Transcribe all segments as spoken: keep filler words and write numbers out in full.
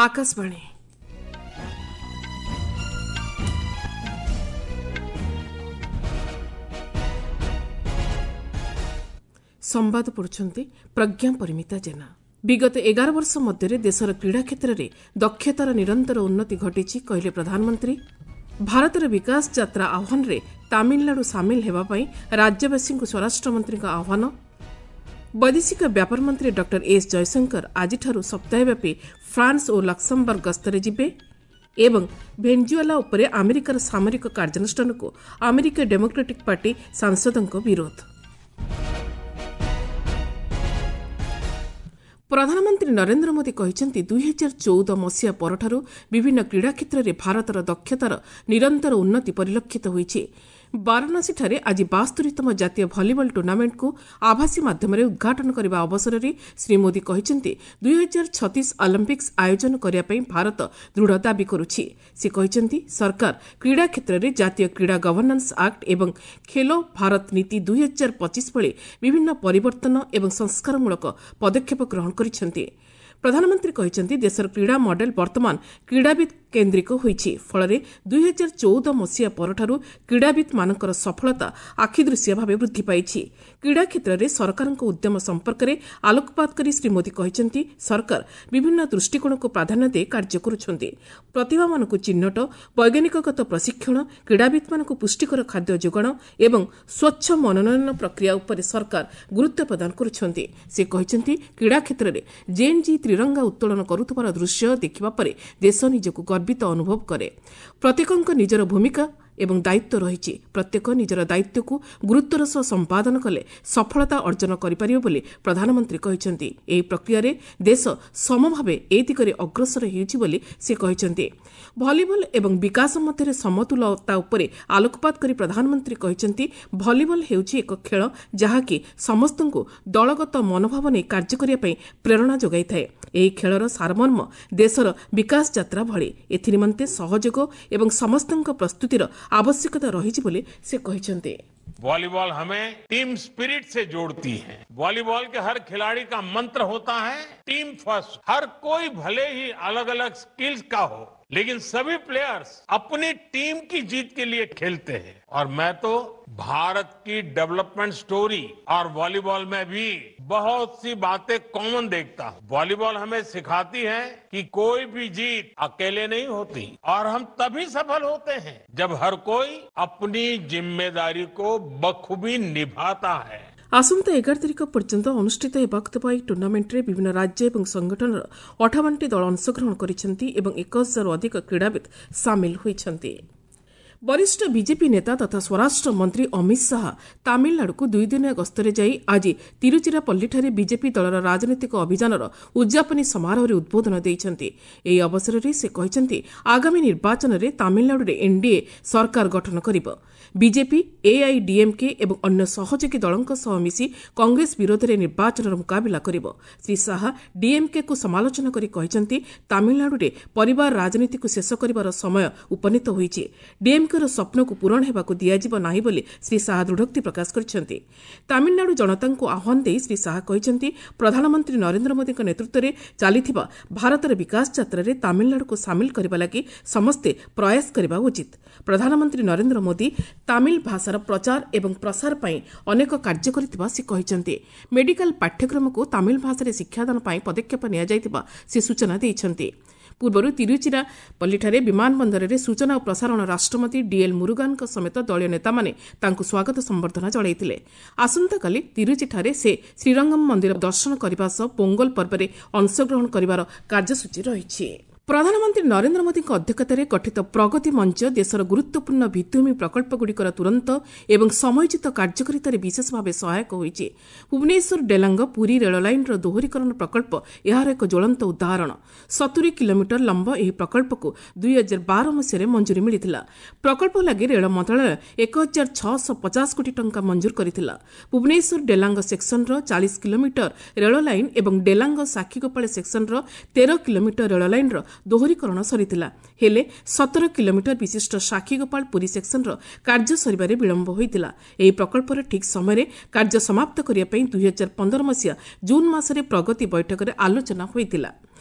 ଆକାଶବାଣୀ। ସମ୍ବାଦ ପଢୁଛନ୍ତି ପ୍ରଜ୍ଞା ପରିମିତା ଜେନା। ବିଗତ ଏଗାର ବର୍ଷ ମଧ୍ୟରେ ଦେଶର କ୍ରୀଡ଼ା କ୍ଷେତ୍ରରେ ଦକ୍ଷତାର ନିରନ୍ତର ଉନ୍ନତି ଘଟିଛି, କହିଲେ ପ୍ରଧାନମନ୍ତ୍ରୀ। ଭାରତର ବିକାଶ ଯାତ୍ରା ଆହ୍ୱାନରେ ତାମିଲନାଡୁ ସାମିଲ ହେବା ପାଇଁ ରାଜ୍ୟବାସୀଙ୍କୁ ସ୍ୱରାଷ୍ଟ୍ରମନ୍ତ୍ରୀଙ୍କ ଆହ୍ୱାନ। ବୈଦେଶିକ ବ୍ୟାପାର ମନ୍ତ୍ରୀ ଡକ୍ଟର ଏସ୍ ଜୟଶଙ୍କର ଆଜିଠାରୁ ସପ୍ତାହବ୍ୟାପୀ ଫ୍ରାନ୍ସ ଓ ଲକ୍ସମବର୍ଗ ଗସ୍ତରେ ଯିବେ ଏବଂ ଭେଞ୍ଜୁଏଲା ଉପରେ ଆମେରିକାର ସାମରିକ କାର୍ଯ୍ୟାନୁଷ୍ଠାନକୁ ଆମେରିକୀୟ ଡେମୋକ୍ରାଟିକ୍ ପାର୍ଟି ସାଂସଦଙ୍କ ବିରୋଧ। ପ୍ରଧାନମନ୍ତ୍ରୀ ନରେନ୍ଦ୍ର ମୋଦି କହିଛନ୍ତି, ଦୁଇହଜାର ଚଉଦ ମସିହା ପରଠାରୁ ବିଭିନ୍ନ କ୍ରୀଡ଼ା କ୍ଷେତ୍ରରେ ଭାରତର ଦକ୍ଷତାର ନିରନ୍ତର ଉନ୍ନତି ପରିଲକ୍ଷିତ ହୋଇଛି। ବାରାଣସୀଠାରେ ଆଜି ବାସ୍ତରିତମ ଜାତୀୟ ଭଲିବଲ ଟୁର୍ଣ୍ଣାମେଣ୍ଟକୁ ଆଭାସୀ ମାଧ୍ୟମରେ ଉଦ୍ଘାଟନ କରିବା ଅବସରରେ ଶ୍ରୀ ମୋଦି କହିଛନ୍ତି, ଦୁଇହଜାର ଛତିଶ ଅଲିମ୍ପିକ୍ସ ଆୟୋଜନ କରିବା ପାଇଁ ଭାରତ ଦୃଢ଼ ଦାବି କରୁଛି। ସେ କହିଛନ୍ତି, ସରକାର କ୍ରୀଡ଼ା କ୍ଷେତ୍ରରେ ଜାତୀୟ କ୍ରୀଡ଼ା ଗଭର୍ଣ୍ଣାନ୍ସ ଆକ୍ଟ ଏବଂ ଖେଲୋ ଭାରତ ନୀତି ଦୁଇହଜାର ପଚିଶ ଭଳି ବିଭିନ୍ନ ପରିବର୍ତ୍ତନ ଏବଂ ସଂସ୍କାରମୂଳକ ପଦକ୍ଷେପ ଗ୍ରହଣ କରିଛନ୍ତି। ପ୍ରଧାନମନ୍ତ୍ରୀ କହିଛନ୍ତି, ଦେଶର କ୍ରୀଡ଼ା ମଡେଲ ବର୍ତ୍ତମାନ କ୍ରୀଡ଼ାବିତ୍ କେନ୍ଦ୍ରିକ ହୋଇଛି। ଫଳରେ ଦୁଇହଜାର ଚଉଦ ମସିହା ପରଠାରୁ କ୍ରୀଡ଼ାବିତ୍ମାନଙ୍କର ସଫଳତା ଆଖିଦୃଶିଆ ଭାବେ ବୃଦ୍ଧି ପାଇଛି। କ୍ରୀଡ଼ା କ୍ଷେତ୍ରରେ ସରକାରଙ୍କ ଉଦ୍ୟମ ସମ୍ପର୍କରେ ଆଲୋକପାତ କରି ଶ୍ରୀ ମୋଦି କହିଛନ୍ତି, ସରକାର ବିଭିନ୍ନ ଦୃଷ୍ଟିକୋଣକୁ ପ୍ରାଧାନ୍ୟ ଦେଇ କାର୍ଯ୍ୟ କରୁଛନ୍ତି। ପ୍ରତିଭାମାନଙ୍କୁ ଚିହ୍ନଟ, ବୈଜ୍ଞାନିକଗତ ପ୍ରଶିକ୍ଷଣ, କ୍ରୀଡ଼ାବିତ୍ମାନଙ୍କୁ ପୁଷ୍ଟିକର ଖାଦ୍ୟ ଯୋଗାଣ ଏବଂ ସ୍ୱଚ୍ଛ ମନୋନୟନ ପ୍ରକ୍ରିୟା ଉପରେ ସରକାର ଗୁରୁତ୍ୱ ପ୍ରଦାନ କରୁଛନ୍ତି। ସେ କହିଛନ୍ତି, କ୍ରୀଡ଼ା କ୍ଷେତ୍ରରେ ଜେନ୍ ଜି ତ୍ରିରଙ୍ଗା ଉତ୍ତୋଳନ କରୁଥିବାର ଦୃଶ୍ୟ ଦେଖିବା ପରେ ଦେଶ ନିଜକୁ ଗର୍ବିତ ଅନୁଭବ କରେ। ପ୍ରତ୍ୟେକଙ୍କ ନିଜର ଭୂମିକା ଏବଂ ଦାୟିତ୍ୱ ରହିଛି। ପ୍ରତ୍ୟେକ ନିଜର ଦାୟିତ୍ୱକୁ ଗୁରୁତ୍ୱର ସହ ସମ୍ପାଦନ କଲେ ସଫଳତା ଅର୍ଜନ କରିପାରିବ ବୋଲି ପ୍ରଧାନମନ୍ତ୍ରୀ କହିଛନ୍ତି। ଏହି ପ୍ରକ୍ରିୟାରେ ଦେଶ ସମଭାବେ ଏ ଦିଗରେ ଅଗ୍ରସର ହେଉଛି ବୋଲି ସେ କହିଛନ୍ତି। ଭଲିବଲ ଏବଂ ବିକାଶ ମଧ୍ୟରେ ସମତୁଲତା ଉପରେ ଆଲୋକପାତ କରି ପ୍ରଧାନମନ୍ତ୍ରୀ କହିଛନ୍ତି, ଭଲିବଲ ହେଉଛି ଏକ ଖେଳ ଯାହାକି ସମସ୍ତଙ୍କୁ ଦଳଗତ ମନୋଭାବ ନେଇ କାର୍ଯ୍ୟ କରିବା ପାଇଁ ପ୍ରେରଣା ଯୋଗାଇଥାଏ। ଏହି ଖେଳର ସାରମର୍ମ ଦେଶର ବିକାଶ ଯାତ୍ରା ଭଳି। ଏଥିନିମନ୍ତେ ସହଯୋଗ ଏବଂ ସମସ୍ତଙ୍କ ପ୍ରସ୍ତୁତିର ଆବଶ୍ୟକତା ରହିଛି ବୋଲି ସେ କହିଛନ୍ତି। वॉलीबॉल हमें टीम स्पिरिट से जोड़ती है। वॉलीबॉल के हर खिलाड़ी का मंत्र होता है टीम फर्स्ट। हर कोई भले ही अलग अलग स्किल्स का हो, लेकिन सभी प्लेयर्स अपनी टीम की जीत के लिए खेलते हैं। और मैं तो भारत की डेवलपमेंट स्टोरी और वॉलीबॉल में भी बहुत सी बातें कॉमन देखता हूं। वॉलीबॉल हमें सिखाती है कि कोई भी जीत अकेले नहीं होती और हम तभी सफल होते हैं जब हर कोई अपनी जिम्मेदारी को बखूबी निभाता है। ଆସନ୍ତା ଏଗାର ତାରିଖ ପର୍ଯ୍ୟନ୍ତ ଅନୁଷ୍ଠିତ ହେବାକୁ ଥିବା ଏହି ଟୁର୍ଣ୍ଣାମେଣ୍ଟରେ ବିଭିନ୍ନ ରାଜ୍ୟ ଏବଂ ସଂଗଠନର ଅଠାବନଟି ଦଳ ଅଂଶଗ୍ରହଣ କରିଛନ୍ତି ଏବଂ ଏକ ହଜାରରୁ ଅଧିକ କ୍ରୀଡ଼ାବିତ୍ ସାମିଲ ହୋଇଛନ୍ତି। ବରିଷ୍ଠ ବିଜେପି ନେତା ତଥା ସ୍ୱରାଷ୍ଟ୍ର ମନ୍ତ୍ରୀ ଅମିତ ଶାହା ତାମିଲନାଡୁକୁ ଦୁଇଦିନିଆ ଗସ୍ତରେ ଯାଇ ଆଜି ତିରୁଚିରାପଲ୍ଲୀଠାରେ ବିଜେପି ଦଳର ରାଜନୈତିକ ଅଭିଯାନର ଉଦ୍ଯାପନୀ ସମାରୋହରେ ଉଦ୍ବୋଧନ ଦେଇଛନ୍ତି। ଏହି ଅବସରରେ ସେ କହିଛନ୍ତି, ଆଗାମୀ ନିର୍ବାଚନରେ ତାମିଲନାଡୁରେ ଏନ୍ଡିଏ ସରକାର ଗଠନ କରିବ। ବିଜେପି, ଏଆଇଡିଏମ୍କେ ଏବଂ ଅନ୍ୟ ସହଯୋଗୀ ଦଳଙ୍କ ସହ ମିଶି କଂଗ୍ରେସ ବିରୋଧରେ ନିର୍ବାଚନର ମୁକାବିଲା କରିବ। ଶ୍ରୀ ଶାହା ଡିଏମ୍କେକୁ ସମାଲୋଚନା କରି କହିଛନ୍ତି, ତାମିଲନାଡୁରେ ପରିବାର ରାଜନୀତିକୁ ଶେଷ କରିବାର ସମୟ ଉପନୀତ ହୋଇଛି। ଡିଏମ୍କେର ସ୍ୱପ୍ନକୁ ପୂରଣ ହେବାକୁ ଦିଆଯିବ ନାହିଁ ବୋଲି ଶ୍ରୀ ଶାହା ଦୃଢ଼ୋକ୍ତି ପ୍ରକାଶ କରିଛନ୍ତି। ତାମିଲନାଡୁ ଜନତାଙ୍କୁ ଆହ୍ୱାନ ଦେଇ ଶ୍ରୀ ଶାହା କହିଛନ୍ତି, ପ୍ରଧାନମନ୍ତ୍ରୀ ନରେନ୍ଦ୍ର ମୋଦିଙ୍କ ନେତୃତ୍ୱରେ ଚାଲିଥିବା ଭାରତର ବିକାଶ ଯାତ୍ରାରେ ତାମିଲନାଡୁକୁ ସାମିଲ କରିବା ଲାଗି ସମସ୍ତେ ପ୍ରୟାସ କରିବା ଉଚିତ। ପ୍ରଧାନମନ୍ତ୍ରୀ ନରେନ୍ଦ୍ର ମୋଦି ତାମିଲ ଭାଷାର ପ୍ରଚାର ଏବଂ ପ୍ରସାର ପାଇଁ ଅନେକ କାର୍ଯ୍ୟ କରିଥିବା ସେ କହିଛନ୍ତି। ମେଡିକାଲ ପାଠ୍ୟକ୍ରମକୁ ତାମିଲ ଭାଷାରେ ଶିକ୍ଷାଦାନ ପାଇଁ ପଦକ୍ଷେପ ନିଆଯାଇଥିବା ସେ ସୂଚନା ଦେଇଛନ୍ତି। ପୂର୍ବରୁ ତିରୁଚିରାପଲ୍ଲୀଠାରେ ବିମାନ ବନ୍ଦରରେ ସୂଚନା ଓ ପ୍ରସାରଣ ରାଷ୍ଟ୍ରମନ୍ତ୍ରୀ ଡିଏଲ୍ ମୁରୁଗାନଙ୍କ ସମେତ ଦଳୀୟ ନେତାମାନେ ତାଙ୍କୁ ସ୍ୱାଗତ ସମ୍ବର୍ଦ୍ଧନା ଜଣାଇଥିଲେ। ଆସନ୍ତାକାଲି ତିରୁଚିଠାରେ ସେ ଶ୍ରୀରଙ୍ଗମ୍ ମନ୍ଦିର ଦର୍ଶନ କରିବା ସହ ପୋଙ୍ଗଲ ପର୍ବରେ ଅଂଶଗ୍ରହଣ କରିବାର କାର୍ଯ୍ୟସୂଚୀ ରହିଛି। ପ୍ରଧାନମନ୍ତ୍ରୀ ନରେନ୍ଦ୍ର ମୋଦିଙ୍କ ଅଧ୍ୟକ୍ଷତାରେ ଗଠିତ ପ୍ରଗତି ମଞ୍ଚ ଦେଶର ଗୁରୁତ୍ୱପୂର୍ଣ୍ଣ ଭିତ୍ତିଭୂମି ପ୍ରକଳ୍ପଗୁଡ଼ିକର ତୁରନ୍ତ ଏବଂ ସମୟୋଚିତ କାର୍ଯ୍ୟକାରିତାରେ ବିଶେଷ ଭାବେ ସହାୟକ ହୋଇଛି। ଭୁବନେଶ୍ୱର ଡେଲାଙ୍ଗ ପୁରୀ ରେଳ ଲାଇନ୍ର ଦୋହରୀକରଣ ପ୍ରକଳ୍ପ ଏହାର ଏକ ଜ୍ୱଳନ୍ତ ଉଦାହରଣ। ସତୁରି କିଲୋମିଟର ଲମ୍ବ ଏହି ପ୍ରକଳ୍ପକୁ ଦୁଇହଜାର ବାର ମସିହାରେ ମଞ୍ଜୁରୀ ମିଳିଥିଲା। ପ୍ରକଳ୍ପ ଲାଗି ରେଳ ମନ୍ତ୍ରଣାଳୟ ଏକ ହଜାର ଛଅଶହ ପଚାଶ କୋଟି ଟଙ୍କା ମଞ୍ଜୁର କରିଥିଲା। ଭୁବନେଶ୍ୱର ଡେଲାଙ୍ଗ ସେକ୍ସନର ଚାଳିଶ କିଲୋମିଟର ରେଳ ଲାଇନ୍ ଏବଂ ଡେଲାଙ୍ଗ ସାକ୍ଷୀଗୋପାଳ ସେକ୍ସନର ତେର କିଲୋମିଟର ରେଳ ଲାଇନ୍ର ଦୋହରୀକରଣ ସରିଥିଲା। ହେଲେ ସତର କିଲୋମିଟର ବିଶିଷ୍ଟ ସାକ୍ଷୀଗୋପାଳ ପୁରୀ ସେକ୍ସନର କାର୍ଯ୍ୟ ସରିବାରେ ବିଳମ୍ବ ହୋଇଥିଲା। ଏହି ପ୍ରକଳ୍ପର ଠିକ୍ ସମୟରେ କାର୍ଯ୍ୟ ସମାପ୍ତ କରିବା ପାଇଁ ଦୁଇହଜାର ପନ୍ଦର ମସିହା ଜୁନ୍ ମାସରେ ପ୍ରଗତି ବୈଠକରେ ଆଲୋଚନା ହୋଇଥିଲା।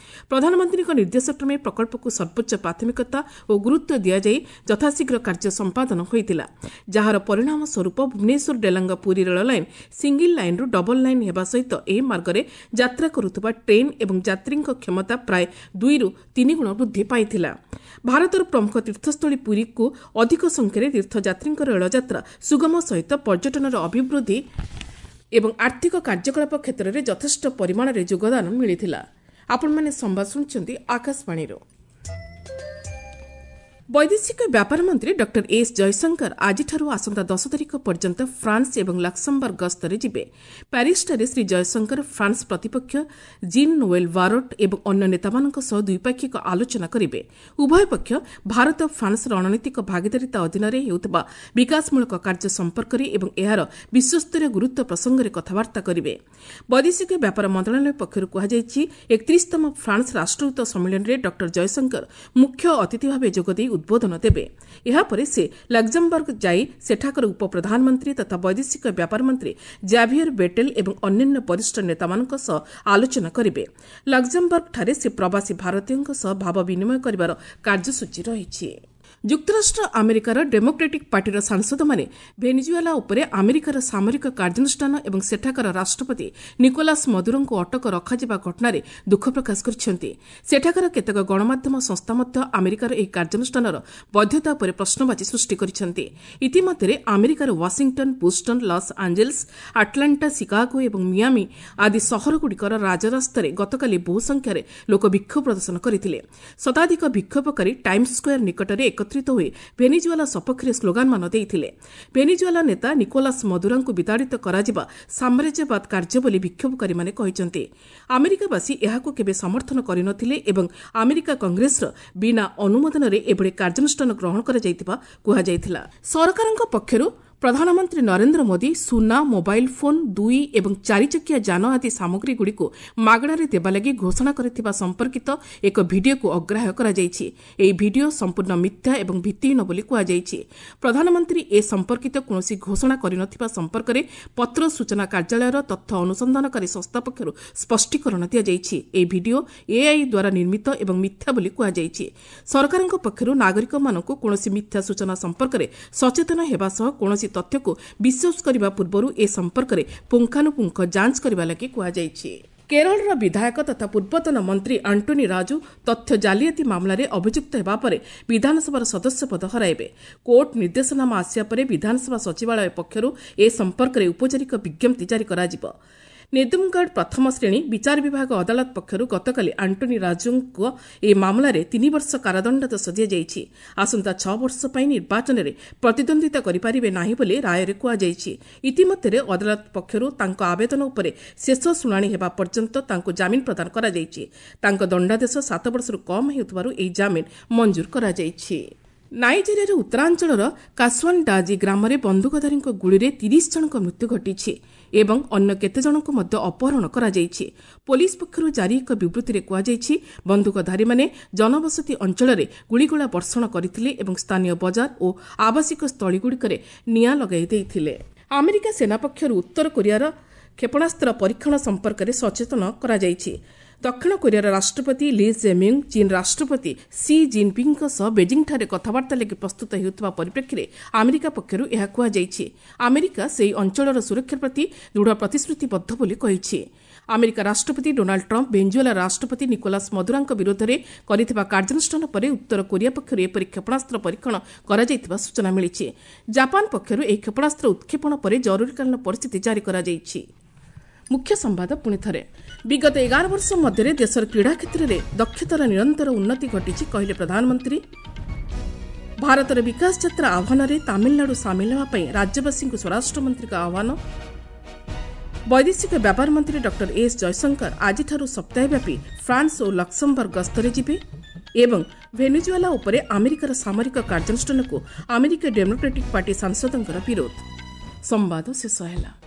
ପ୍ରଧାନମନ୍ତ୍ରୀଙ୍କ ନିର୍ଦ୍ଦେଶକ୍ରମେ ପ୍ରକଳ୍ପକୁ ସର୍ବୋଚ୍ଚ ପ୍ରାଥମିକତା ଓ ଗୁରୁତ୍ୱ ଦିଆଯାଇ ଯଥାଶୀଘ୍ର କାର୍ଯ୍ୟ ସମ୍ପାଦନ ହୋଇଥିଲା, ଯାହାର ପରିଣାମ ସ୍ୱରୂପ ଭୁବନେଶ୍ୱର ଡେଲାଙ୍ଗ ପୁରୀ ରେଳ ଲାଇନ୍ ସିଙ୍ଗିଲ୍ ଲାଇନ୍ରୁ ଡବଲ୍ ଲାଇନ୍ ହେବା ସହିତ ଏହି ମାର୍ଗରେ ଯାତ୍ରା କରୁଥିବା ଟ୍ରେନ୍ ଏବଂ ଯାତ୍ରୀଙ୍କ କ୍ଷମତା ପ୍ରାୟ ଦୁଇରୁ ତିନି ଗୁଣ ବୃଦ୍ଧି ପାଇଥିଲା। ଭାରତର ପ୍ରମୁଖ ତୀର୍ଥସ୍ଥଳୀ ପୁରୀକୁ ଅଧିକ ସଂଖ୍ୟାରେ ତୀର୍ଥଯାତ୍ରୀଙ୍କ ରେଳଯାତ୍ରା ସୁଗମ ସହିତ ପର୍ଯ୍ୟଟନର ଅଭିବୃଦ୍ଧି ଏବଂ ଆର୍ଥିକ କାର୍ଯ୍ୟକଳାପ କ୍ଷେତ୍ରରେ ଯଥେଷ୍ଟ ପରିମାଣରେ ଯୋଗଦାନ ମିଳିଥିଲା। ଆପଣମାନେ ସମ୍ବାଦ ଶୁଣୁଛନ୍ତି ଆକାଶବାଣୀରୁ। ବୈଦେଶିକ ବ୍ୟାପାର ମନ୍ତ୍ରୀ ଡକ୍ଟର ଏସ୍ ଜୟଶଙ୍କର ଆଜିଠାରୁ ଆସନ୍ତା ଦଶ ତାରିଖ ପର୍ଯ୍ୟନ୍ତ ଫ୍ରାନ୍ସ ଏବଂ ଲକ୍ସମବର୍ଗ ଗସ୍ତରେ ଯିବେ। ପ୍ୟାରିସଠାରେ ଶ୍ରୀ ଜୟଶଙ୍କର ଫ୍ରାନ୍ସ ପ୍ରତିପକ୍ଷ ଜିନ୍ ନୋଏଲ୍ ବାରୋଟ୍ ଏବଂ ଅନ୍ୟ ନେତାମାନଙ୍କ ସହ ଦ୍ୱିପାକ୍ଷିକ ଆଲୋଚନା କରିବେ। ଉଭୟ ପକ୍ଷ ଭାରତ ଫ୍ରାନ୍ସ ରଣନୀତିକ ଭାଗିଦାରିତା ଅଧୀନରେ ହେଉଥିବା ବିକାଶମୂଳକ କାର୍ଯ୍ୟ ସମ୍ପର୍କରେ ଏବଂ ଏହାର ବିଶ୍ୱସ୍ତରୀୟ ଗୁରୁତ୍ୱ ପ୍ରସଙ୍ଗରେ କଥାବାର୍ତ୍ତା କରିବେ। ବୈଦେଶିକ ବ୍ୟାପାର ମନ୍ତ୍ରଣାଳୟ ପକ୍ଷରୁ କୁହାଯାଇଛି, ଏକତିରିଶତମ ଫ୍ରାନ୍ସ ରାଷ୍ଟ୍ରଦୂତ ସମ୍ମିଳନୀରେ ଡକ୍ଟର ଜୟଶଙ୍କର ମୁଖ୍ୟ ଅତିଥି ଭାବେ ଯୋଗଦେଇ ଉଦ୍ବୋଧନ ଦେବେ। ଏହାପରେ ସେ ଲକ୍ଜମବର୍ଗ ଯାଇ ସେଠାକାର ଉପପ୍ରଧାନମନ୍ତ୍ରୀ ତଥା ବୈଦେଶିକ ବ୍ୟାପାର ମନ୍ତ୍ରୀ ଜାଭିୟର ବେଟେଲ ଏବଂ ଅନ୍ୟାନ୍ୟ ବରିଷ୍ଠ ନେତାମାନଙ୍କ ସହ ଆଲୋଚନା କରିବେ। ଲକ୍ଜମବର୍ଗଠାରେ ସେ ପ୍ରବାସୀ ଭାରତୀୟଙ୍କ ସହ ଭାବ ବିନିମୟ କରିବାର କାର୍ଯ୍ୟସୂଚୀ ରହିଛି। ଯୁକ୍ତରାଷ୍ଟ୍ର ଆମେରିକାର ଡେମୋକ୍ରାଟିକ୍ ପାର୍ଟିର ସାଂସଦମାନେ ଭେନିଜୁଏଲା ଉପରେ ଆମେରିକାର ସାମରିକ କାର୍ଯ୍ୟାନୁଷ୍ଠାନ ଏବଂ ସେଠାକାର ରାଷ୍ଟ୍ରପତି ନିକୋଲାସ୍ ମଦୁରୋଙ୍କୁ ଅଟକ ରଖାଯିବା ଘଟଣାରେ ଦୁଃଖ ପ୍ରକାଶ କରିଛନ୍ତି। ସେଠାକାର କେତେକ ଗଣମାଧ୍ୟମ ସଂସ୍ଥା ମଧ୍ୟ ଆମେରିକାର ଏହି କାର୍ଯ୍ୟାନୁଷ୍ଠାନର ବୈଧତା ଉପରେ ପ୍ରଶ୍ନବାଚୀ ସୃଷ୍ଟି କରିଛନ୍ତି। ଇତିମଧ୍ୟରେ ଆମେରିକାର Washington, Boston, Los Angeles, Atlanta, Chicago ଏବଂ ମିଆମି ଆଦି ସହରଗୁଡ଼ିକର ରାଜରାସ୍ତାରେ ଗତକାଲି ବହୁ ସଂଖ୍ୟାରେ ଲୋକ ବିକ୍ଷୋଭ ପ୍ରଦର୍ଶନ କରିଥିଲେ। ଶତାଧିକ ବିକ୍ଷୋଭକାରୀ ଟାଇମ୍ସ ସ୍କୋୟାର ନିକଟରେ ଏକତ୍ରିତ ହୋଇ ଭେନିଜୁଏଲା ସପକ୍ଷରେ ସ୍ଲୋଗାନମାନ ଦେଇଥିଲେ। ଭେନିଜୁଏଲା ନେତା ନିକୋଲାସ୍ ମଦୁରାଙ୍କୁ ବିତାଡ଼ିତ କରାଯିବା ସାମ୍ରାଜ୍ୟବାଦ କାର୍ଯ୍ୟ ବୋଲି ବିକ୍ଷୋଭକାରୀମାନେ କହିଛନ୍ତି। ଆମେରିକାବାସୀ ଏହାକୁ କେବେ ସମର୍ଥନ କରିନଥିଲେ ଏବଂ ଆମେରିକା କଂଗ୍ରେସର ବିନା ଅନୁମୋଦନରେ ଏଭଳି କାର୍ଯ୍ୟାନୁଷ୍ଠାନ ଗ୍ରହଣ କରାଯାଇଥିବା କୁହାଯାଇଥିଲା। ସରକାରଙ୍କ ପକ୍ଷରୁ ପ୍ରଧାନମନ୍ତ୍ରୀ ନରେନ୍ଦ୍ର ମୋଦି ସୁନା, ମୋବାଇଲ୍ ଫୋନ୍, ଦୁଇ ଏବଂ ଚାରିଚକିଆ ଯାନ ଆଦି ସାମଗ୍ରୀଗୁଡ଼ିକୁ ମାଗଣାରେ ଦେବା ଲାଗି ଘୋଷଣା କରିଥିବା ସମ୍ପର୍କିତ ଏକ ଭିଡିଓକୁ ଅଗ୍ରାହ୍ୟ କରାଯାଇଛି। ଏହି ଭିଡିଓ ସମ୍ପୂର୍ଣ୍ଣ ମିଥ୍ୟା ଏବଂ ଭିତ୍ତିହୀନ ବୋଲି କୁହାଯାଇଛି। ପ୍ରଧାନମନ୍ତ୍ରୀ ଏ ସମ୍ପର୍କିତ କୌଣସି ଘୋଷଣା କରିନଥିବା ସମ୍ପର୍କରେ ପତ୍ର ସୂଚନା କାର୍ଯ୍ୟାଳୟର ତଥ୍ୟ ଅନୁସନ୍ଧାନକାରୀ ସଂସ୍ଥା ପକ୍ଷରୁ ସ୍ପଷ୍ଟୀକରଣ ଦିଆଯାଇଛି। ଏହି ଭିଡିଓ ଏଆଇ ଦ୍ୱାରା ନିର୍ମିତ ଏବଂ ମିଥ୍ୟା ବୋଲି କୁହାଯାଇଛି। ସରକାରଙ୍କ ପକ୍ଷରୁ ନାଗରିକମାନଙ୍କୁ କୌଣସି ମିଥ୍ୟା ସୂଚନା ସମ୍ପର୍କରେ ସଚେତନ ହେବା ସହ କୌଣସି ତଥ୍ୟକୁ ବିଶ୍ୱାସ କରିବା ପୂର୍ବରୁ ଏ ସମ୍ପର୍କରେ ପୁଙ୍ଖାନୁପୁଙ୍ଖ ଯାଞ୍ଚ କରିବା ଲାଗି କୁହାଯାଇଛି। କେରଳର ବିଧାୟକ ତଥା ପୂର୍ବତନ ମନ୍ତ୍ରୀ ଆଣ୍ଟୋନି ରାଜୁ ତଥ୍ୟ ଜାଲିଆତି ମାମଲାରେ ଅଭିଯୁକ୍ତ ହେବା ପରେ ବିଧାନସଭାର ସଦସ୍ୟ ପଦ ହରାଇବେ। କୋର୍ଟ ନିର୍ଦ୍ଦେଶନାମା ଆସିବା ପରେ ବିଧାନସଭା ସଚିବାଳୟ ପକ୍ଷରୁ ଏ ସମ୍ପର୍କରେ ଔପଚାରିକ ବିଜ୍ଞପ୍ତି ଜାରି କରାଯିବ। ନେଦୁମଗଡ଼ ପ୍ରଥମ ଶ୍ରେଣୀ ବିଚାର ବିଭାଗ ଅଦାଲତ ପକ୍ଷରୁ ଗତକାଲି ଆଣ୍ଟୋନି ରାଜୁଙ୍କ ଏହି ମାମଲାରେ ତିନି ବର୍ଷ କାରାଦଣ୍ଡାଦେଶ ଦିଆଯାଇଛି। ଆସନ୍ତା ଛଅ ବର୍ଷ ପାଇଁ ନିର୍ବାଚନରେ ପ୍ରତିଦ୍ୱନ୍ଦ୍ୱିତା କରିପାରିବେ ନାହିଁ ବୋଲି ରାୟରେ କୁହାଯାଇଛି। ଇତିମଧ୍ୟରେ ଅଦାଲତ ପକ୍ଷରୁ ତାଙ୍କ ଆବେଦନ ଉପରେ ଶେଷ ଶୁଣାଣି ହେବା ପର୍ଯ୍ୟନ୍ତ ତାଙ୍କୁ ଜାମିନ ପ୍ରଦାନ କରାଯାଇଛି। ତାଙ୍କ ଦଣ୍ଡାଦେଶ ସାତ ବର୍ଷରୁ କମ୍ ହେଉଥିବାରୁ ଏହି ଜାମିନ ମଞ୍ଜୁର କରାଯାଇଛି। ନାଇଜେରିଆର ଉତ୍ତରାଞ୍ଚଳର କାସ୍ୱାନଡାଜି ଗ୍ରାମରେ ବନ୍ଧୁକଧାରୀଙ୍କ ଗୁଳିରେ ତିରିଶ ଜଣଙ୍କ ମୃତ୍ୟୁ ଘଟିଛି ଏବଂ ଅନ୍ୟ କେତେଜଣଙ୍କୁ ମଧ୍ୟ ଅପହରଣ କରାଯାଇଛି। ପୋଲିସ ପକ୍ଷରୁ ଜାରି ଏକ ବିବୃତ୍ତିରେ କୁହାଯାଇଛି, ବନ୍ଧୁକଧାରୀମାନେ ଜନବସତି ଅଞ୍ଚଳରେ ଗୁଳିଗୋଳା ବର୍ଷଣ କରିଥିଲେ ଏବଂ ସ୍ଥାନୀୟ ବଜାର ଓ ଆବାସିକ ସ୍ଥଳୀଗୁଡ଼ିକରେ ନିଆଁ ଲଗାଇ ଦେଇଥିଲେ। ଆମେରିକା ସେନା ପକ୍ଷରୁ ଉତ୍ତର କୋରିଆର କ୍ଷେପଣାସ୍ତ୍ର ପରୀକ୍ଷଣ ସମ୍ପର୍କରେ ସଚେତନ କରାଯାଇଛି। ଦକ୍ଷିଣ କୋରିଆର ରାଷ୍ଟ୍ରପତି ଲି ଜେ-ମ୍ୟୁଙ୍ଗ ଚୀନ୍ ରାଷ୍ଟ୍ରପତି ସି ଜିନ୍ପିଙ୍ଗଙ୍କ ସହ ବେଜିଂଠାରେ କଥାବାର୍ତ୍ତା ଲାଗି ପ୍ରସ୍ତୁତ ହେଉଥିବା ପରିପ୍ରେକ୍ଷୀରେ ଆମେରିକା ପକ୍ଷରୁ ଏହା କୁହାଯାଇଛି। ଆମେରିକା ସେହି ଅଞ୍ଚଳର ସୁରକ୍ଷା ପ୍ରତି ଦୃଢ଼ ପ୍ରତିଶ୍ରୁତିବଦ୍ଧ ବୋଲି କହିଛି। ଆମେରିକା ରାଷ୍ଟ୍ରପତି ଡୋନାଲ୍ଡ ଟ୍ରମ୍ପ ଭେଞ୍ଜୁଏଲା ରାଷ୍ଟ୍ରପତି ନିକୋଲାସ୍ ମଦୁରାଙ୍କ ବିରୋଧରେ କରିଥିବା କାର୍ଯ୍ୟାନୁଷ୍ଠାନ ପରେ ଉତ୍ତର କୋରିଆ ପକ୍ଷରୁ ଏପରି କ୍ଷେପଣାସ୍ତ୍ର ପରୀକ୍ଷଣ କରାଯାଇଥିବା ସୂଚନା ମିଳିଛି। ଜାପାନ ପକ୍ଷରୁ ଏହି କ୍ଷେପଣାସ୍ତ୍ର ଉତ୍କ୍ଷେପଣ ପରେ ଜରୁରୀକାଳୀନ ପରିସ୍ଥିତି ଜାରି କରାଯାଇଛି। ମୁଖ୍ୟ ସମ୍ବାଦ ପୁଣି ଥରେ। ବିଗତ ଏଗାର ବର୍ଷ ମଧ୍ୟରେ ଦେଶର କ୍ରୀଡ଼ା କ୍ଷେତ୍ରରେ ଦକ୍ଷତାର ନିରନ୍ତର ଉନ୍ନତି ଘଟିଛି, କହିଲେ ପ୍ରଧାନମନ୍ତ୍ରୀ। ଭାରତର ବିକାଶ ଯାତ୍ରା ଆହ୍ୱାନରେ ତାମିଲନାଡୁ ସାମିଲ ହେବା ପାଇଁ ରାଜ୍ୟବାସୀଙ୍କୁ ସ୍ୱରାଷ୍ଟ୍ରମନ୍ତ୍ରୀଙ୍କ ଆହ୍ୱାନ। ବୈଦେଶିକ ବ୍ୟାପାର ମନ୍ତ୍ରୀ ଡକ୍ଟର ଏସ୍ ଜୟଶଙ୍କର ଆଜିଠାରୁ ସପ୍ତାହବ୍ୟାପୀ ଫ୍ରାନ୍ସ ଓ ଲକ୍ସମବର୍ଗ ଗସ୍ତରେ ଯିବେ ଏବଂ ଭେନେଜୁଏଲା ଉପରେ ଆମେରିକାର ସାମରିକ କାର୍ଯ୍ୟାନୁଷ୍ଠାନକୁ ଆମେରିକୀୟ ଡେମୋକ୍ରାଟିକ୍ ପାର୍ଟି ସାଂସଦଙ୍କର ବିରୋଧ। ସମ୍ବାଦ ଶେଷ ହେଲା।